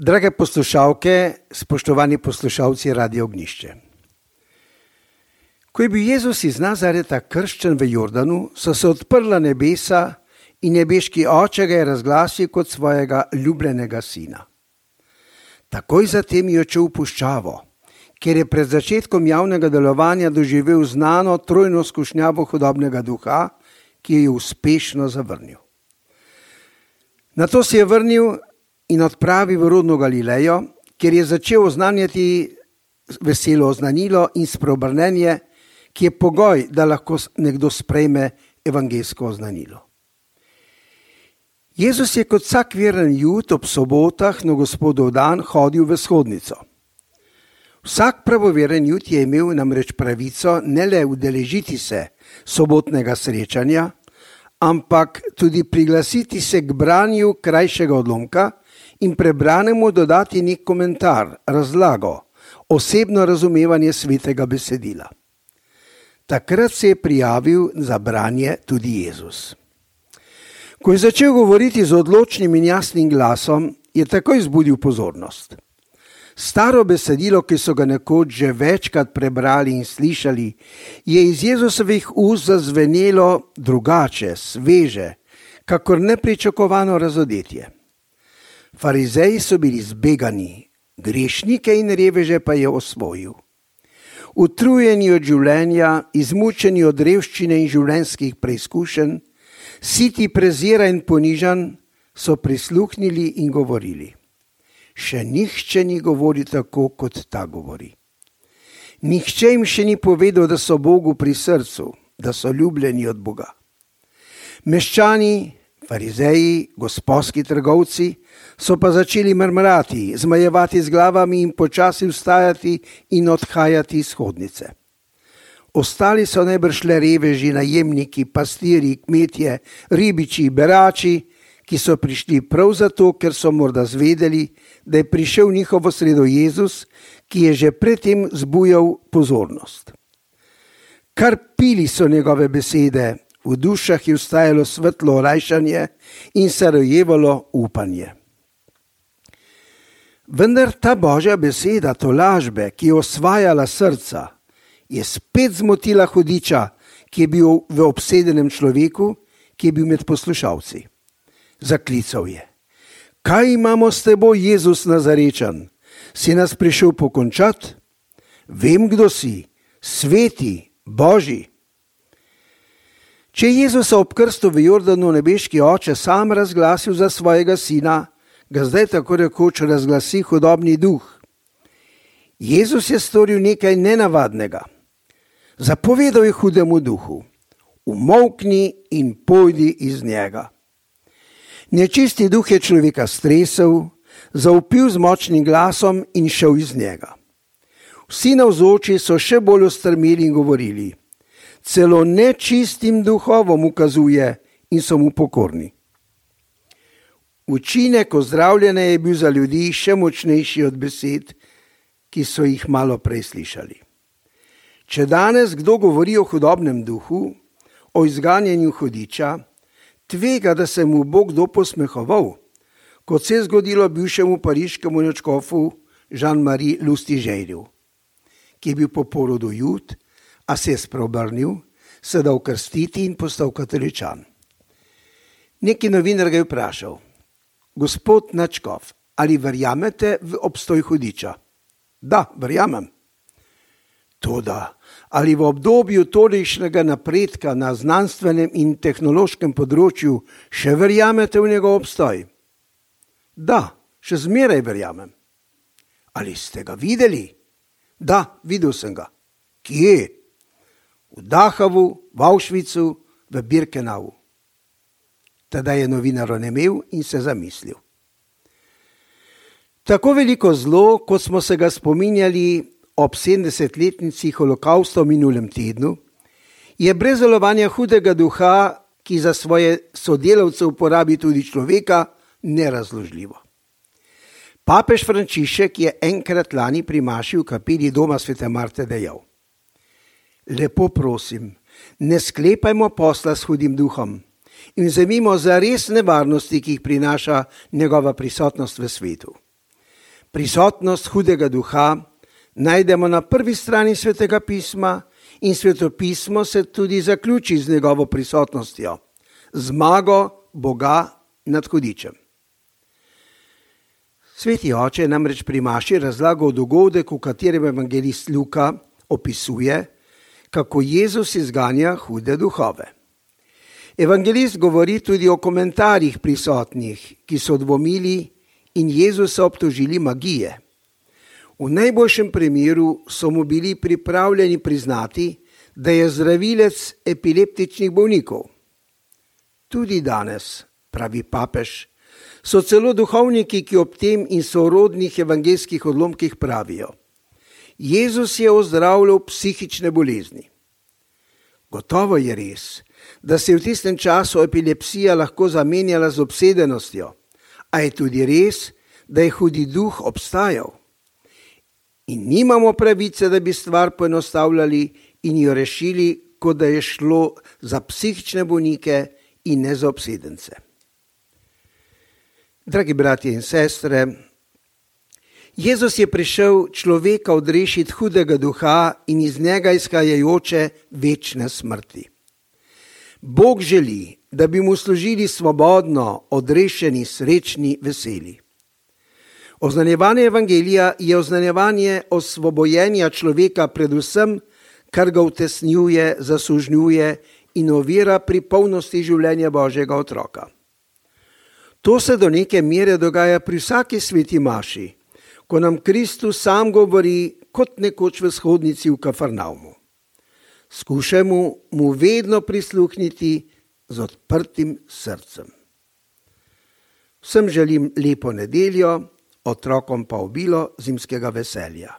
Drage poslušalke, spoštovani poslušalci Radia Ognjišče. Ko je bil Jezus iz Nazareta krščen v Jordanu, so se odprla nebesa in nebeški oče ga je razglasil kot svojega ljubljenega sina. Takoj zatem je odšel v puščavo, kjer je pred začetkom javnega delovanja doživel znano trojno skušnjavo hudobnega duha, ki jo je uspešno zavrnil. Nato se je vrnil in odpravil v rodno Galilejo, kjer je začel oznanjati veselo oznanilo in spreobrnenje, ki je pogoj, da lahko nekdo sprejme evangeljsko oznanilo. Jezus je kot vsak veren Jud ob sobotah na Gospodov dan hodil v shodnico. Vsak pravoveren Jud je imel namreč pravico ne le udeležiti se sobotnega srečanja, ampak tudi priglasiti se k branju krajšega odlomka in prebranemu dodati nek komentar, razlago, osebno razumevanje svetega besedila. Takrat se je prijavil za branje tudi Jezus. Ko je začel govoriti z odločnim in jasnim glasom, je takoj zbudil pozornost. Staro besedilo, ki so ga nekoč že večkrat prebrali in slišali, je iz Jezusovih ust zazvenelo drugače, sveže, kakor nepričakovano razodetje. Farizeji so bili zbegani, grešnike in reveže pa je osvojil. Utrujeni od življenja, izmučeni od revščine in življenjskih preizkušenj, siti prezira in ponižan, so prisluhnili in govorili. Še nihče ni govoril tako, kot ta govori. Nihče jim še ni povedal, da so Bogu pri srcu, da so ljubljeni od Boga. Meščani, farizeji, gospodski trgovci so pa začeli mrmrati, zmajevati z glavami in počasi vstajati in odhajati iz shodnice. Ostali so najbrž le reveži, najemniki, pastiri, kmetje, ribiči, berači, ki so prišli prav zato, ker so morda zvedeli, da je prišel v njihovo sredo Jezus, ki je že predtem zbujal pozornost. Kar pili so njegove besede, v dušah je vstajalo svetlo olajšanje in se rojevalo upanje. Vendar ta Božja beseda, tolažbe, ki je osvajala srca, je spet zmotila hudiča, ki je bil v obsedenem človeku, ki je bil med poslušalci. Zaklical je: Kaj imamo s teboj, Jezus Nazarečan? Si nas prišel pokončati? Vem, kdo si, sveti, Božji. Če je Jezusa ob krstu v Jordanu nebeški oče sam razglasil za svojega sina, ga zdaj tako rekoč razglasi hudobni duh. Jezus je storil nekaj nenavadnega. Zapovedal je hudemu duhu: umolkni in pojdi iz njega. Nečisti duh je človeka stresel, zavpil z močnim glasom in šel iz njega. Vsi navzoči so še bolj ostrmeli in govorili: Celo nečistim duhovom ukazuje in so mu pokorni. Učinek ozdravljanja je bil za ljudi še močnejši od besed, ki so jih malo prej slišali. Če danes kdo govori o hudobnem duhu, o izganjanju hudiča, tvega, da se mu bo kdo posmehoval, kot se je zgodilo bivšemu pariškemu nadškofu Jean-Marie Lustigerju, ki je bil po porodu Jud, a se je spreobrnil, se dal krstiti in postal katoličan. Neki novinar ga je vprašal: Gospod nadškof, ali verjamete v obstoj hudiča? Da, verjamem. Toda, ali v obdobju tolikšnega napredka na znanstvenem in tehnološkem področju še verjamete v njegov obstoj? Da, še zmeraj verjamem. Ali ste ga videli? Da, videl sem ga. Kje? V Dachavu, v Auschwitzu, v Birkenauu. Teda je novinar onemel in se zamislil. Tako veliko zlo, kot smo se ga spominjali ob 70-letnici holokausta v minulem tednu, je brez delovanja hudega duha, ki za svoje sodelavce uporabi tudi človeka, nerazložljivo. Papež Frančišek je enkrat lani pri maši v kapeli doma Svete Marte dejal: Lepo prosim, ne sklepajmo posla s hudim duhom in vzemimo za res nevarnosti, ki jih prinaša njegova prisotnost v svetu. Prisotnost hudega duha najdemo na prvi strani Svetega pisma in Svetopismo se tudi zaključi z njegovo prisotnostjo, zmago Boga nad hudičem. Sveti oče namreč pri maši razlaga dogodek, v katerem evangelist Luka opisuje, kako Jezus izganja hude duhove. Evangelist govori tudi o komentarjih prisotnih, ki so dvomili in Jezusa obtožili magije. V najboljšem primeru so mu bili pripravljeni priznati, da je zdravilec epileptičnih bolnikov. Tudi danes, pravi papež, so celo duhovniki, ki ob tem in sorodnih evangelskih odlomkih pravijo: Jezus je ozdravljal psihične bolezni. Gotovo je res, da se je v tistem času epilepsija lahko zamenjala z obsedenostjo, a je tudi res, da je hudi duh obstajal. In nimamo pravice, da bi stvar poenostavljali in jo rešili, kot da je šlo za psihične bolnike in ne za obsedence. Dragi bratje in sestre, Jezus je prišel človeka odrešiti hudega duha in iz njega izhajajoče večne smrti. Bog želi, da bi mu služili svobodno, odrešeni, srečni, veseli. Oznanjevanje evangelija je oznanjevanje osvobojenja človeka predvsem, kar ga utesnjuje, zasužnjuje in ovira pri polnosti življenja Božjega otroka. To se do neke mere dogaja pri vsaki sveti maši, ko nam Kristus sam govori kot nekoč v shodnici v Kafarnaumu. Skušajmo mu vedno prisluhniti z odprtim srcem. Vsem želim lepo nedeljo, otrokom pa obilo zimskega veselja.